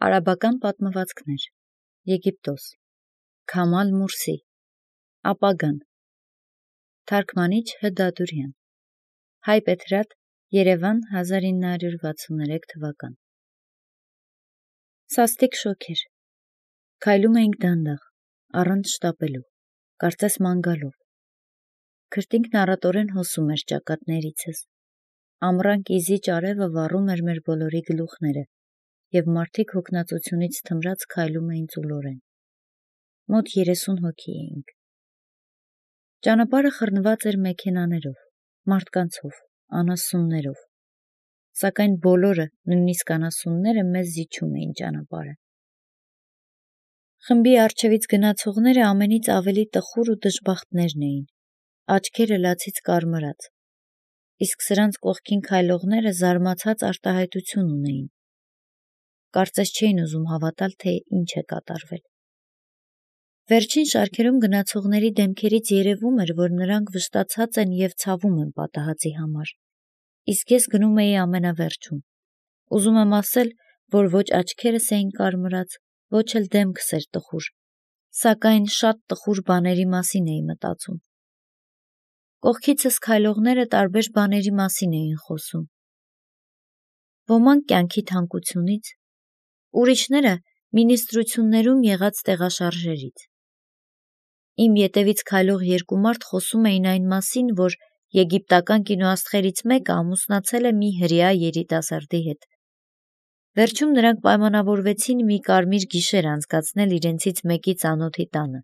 Արաբական պատմվածքներ, Եգիպտոս, Քամալ Մուրսի, Ապագան, Թարգմանիչ Հդադուրյան, Հայ Պետրատ, Երևան 1963 թվական։ Սաստիկ շոգեր, քայլում էինք դանդաղ, առանց շտապելու, կարծես ման գալով։ Քրտինքն առատորեն հոսում էր ճակատներիցս, ամռան կիզիչ արևը վառում էր մեր բոլորի գլուխները, և մարդիկ հոգնածությունից թմրած քայլում էին ծուլորեն։ Մոտ 30 հոգի էինք։ Ճանապարհը խռնված էր մեքենաներով, մարդկանցով, անասուններով, սակայն բոլորը, նույնիսկ անասունները, մեզ զիջում էին ճանապարհը։ Խմբի առջևից գնացողները ամենից ավելի տխուր ու դժբախտներն էին, աչքերը լացից կարմրած, իսկ սրանց կողքին քայլողները զարմացած արտահայտություն ունեին, կարծես չէին ուզում հավատալ, թե ինչ է կատարվել։ Վերջին շարքերում գնացողների դեմքերից երևում էր, որ նրանք վշտացած են և ցավում են պատահածի համար, իսկ ես գնում էի ամենավերջում։ Ուզում եմ ասել, որ ոչ աչքերս էին կարմրած, ոչ էլ դեմքս էր տխուր, սակայն շատ տխուր բաների մասին էի մտածում։ Կողքիցս քայլողները տարբեր բաների մասին էին խոսում։ Ոմանք կյանքի թանկությունից, ուրիշները մինիստրություններում եղած տեղաշարժերից։ Իմ ետևից քայլող երկու մարդ խոսում էին այն մասին, որ եգիպտական կինոաստղերից մեկը ամուսնացել է մի հրեա երիտասարդի հետ։ Վերջում նրանք պայմանավորվեցին մի կարմիր գիշեր անցկացնել իրենցից մեկի ծանոթի տանը։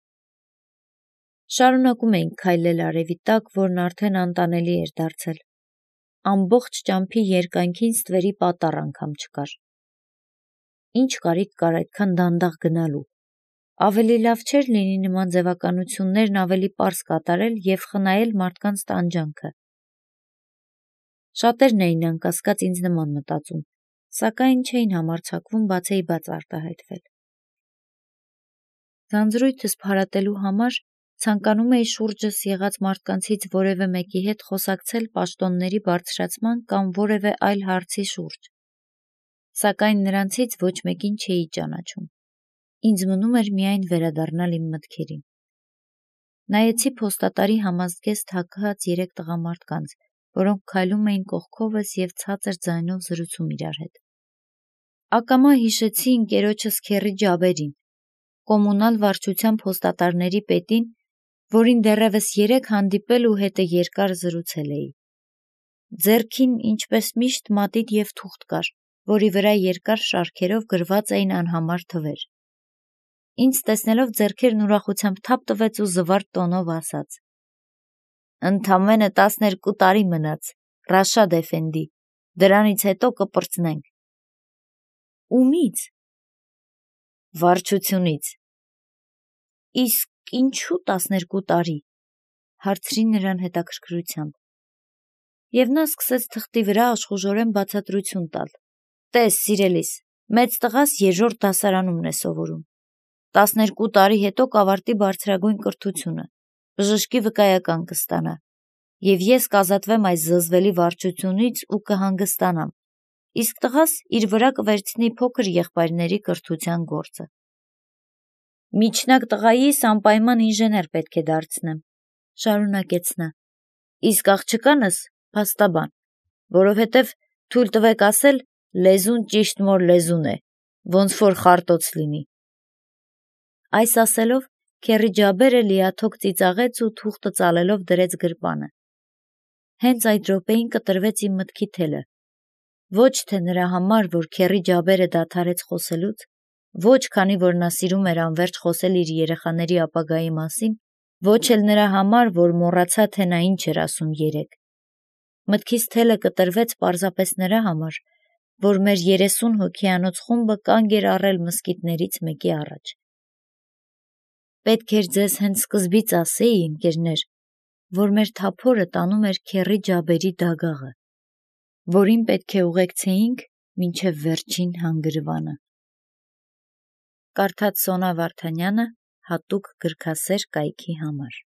Շարունակում էինք քայլել արևի տակ, որն արդեն անտանելի էր դարձել։ Ամբողջ ճամփի երկայնքին ստվերի պատառ անգամ չկար։ Ինչ կարիք կար այդքան դանդաղ գնալու։ Ավելի լավ չէր լինի նման ձևականություններն ավելի պարզ կատարել և խնայել մարդկանց տանջանքը։ Շատերն էին անկասկած ինձ նման մտածում, սակայն չէին համարձակվում բացեիբաց արտահայտվել։ Ձանձրույթս փարատելու համար ցանկանում էի շուրջս եղած մարդկանցից որևէ մեկի հետ խոսակցել պաշտոնների բարձրացման կամ որևէ այլ հարցի շուրջ, սակայն նրանցից ոչ մեկին չէի ճանաչում։ Ինձ մնում էր միայն վերադառնալ իմ մտքերին։ Նայեցի փոստատարի համազգեստ հագած 3 տղամարդկանց, որոնք քայլում էին կողքովս և ցածր ձայնով զրուցում իրար հետ։ Ակամա հիշեցի ընկերոջս Քեռի Ջաբերին, կոմունալ վարչության փոստատարների պետին, որին դեռևս 3 հանդիպել ու հետը երկար զրուցել էի։ Ձեռքին, ինչպես միշտ, մատիտ և թուղթ կար, որի վրա երկար շարքերով գրված էին անհամար թվեր։ Ինձ տեսնելով ձեռքերն ուրախությամբ թափ տվեց ու զվարթ տոնով ասաց. «Ընդամենը 12 տարի մնաց, Ռաշադ էֆենդի, դրանից հետո կպրծնենք»։ Ումի՞ց։ Վարչությունից։ Իսկ ինչու 12 տարի, հարցրի նրան հետաքրքրությամբ։ Եվ նա սկսեց թղթի վրա աշխուժորեն բացատրություն տալ. «Տես, սիրելիս, մեծ տղաս 3-րդ դասարանումն է սովորում, 12 տարի հետո կավարտի բարձրագույն կրթությունը, բժշկի վկայական կստանա, և ես կազատվեմ այս զզվելի վարչությունից ու կհանգստանամ, իսկ տղաս իր վրա կվերցնի փոքր եղբայրների կրթության գործը։ Միջնակ տղայիս անպայման ինժեներ պետք է դարձնեմ», շարունակեց նա, «իսկ աղջկանս փաստաբան, որովհետև թույլ տվեք ասել, լեզուն ճիշտ մոր լեզուն է, ոնց որ խարտոց լինի»։ Այս ասելով Քեռի Ջաբերը լիաթոք ծիծաղեց ու թուղթը ծալելով դրեց գրպանը։ Հենց այդ րոպեին կտրվեց իմ մտքի թելը։ Ոչ թե նրա համար, որ Քեռի Ջաբերը դադարեց խոսելուց, ոչ քանի որ նա սիրում էր անվերջ խոսել իր երեխաների ապագայի մասին, ոչ էլ նրա համար, որ մոռացա, թե նա ինչ էր ասում երեկ։ Մտքիս թելը կտրվեց պարզապես նրա համար, որ մեր 30 հոգիանոց խումբը կանգ էր առել մզկիթներից մեկի առաջ։ Պետք էր ձեզ հենց սկզբից ասեի, ընկերներ, որ մեր թափորը տանում էր Քեռի Ջաբերի դագաղը, որին պետք է ուղեկցեինք մինչև վերջին հանգրվանը։ Կարդաց Սոնա Վարդանյանը հատուկ գրքասեր կայքի համար։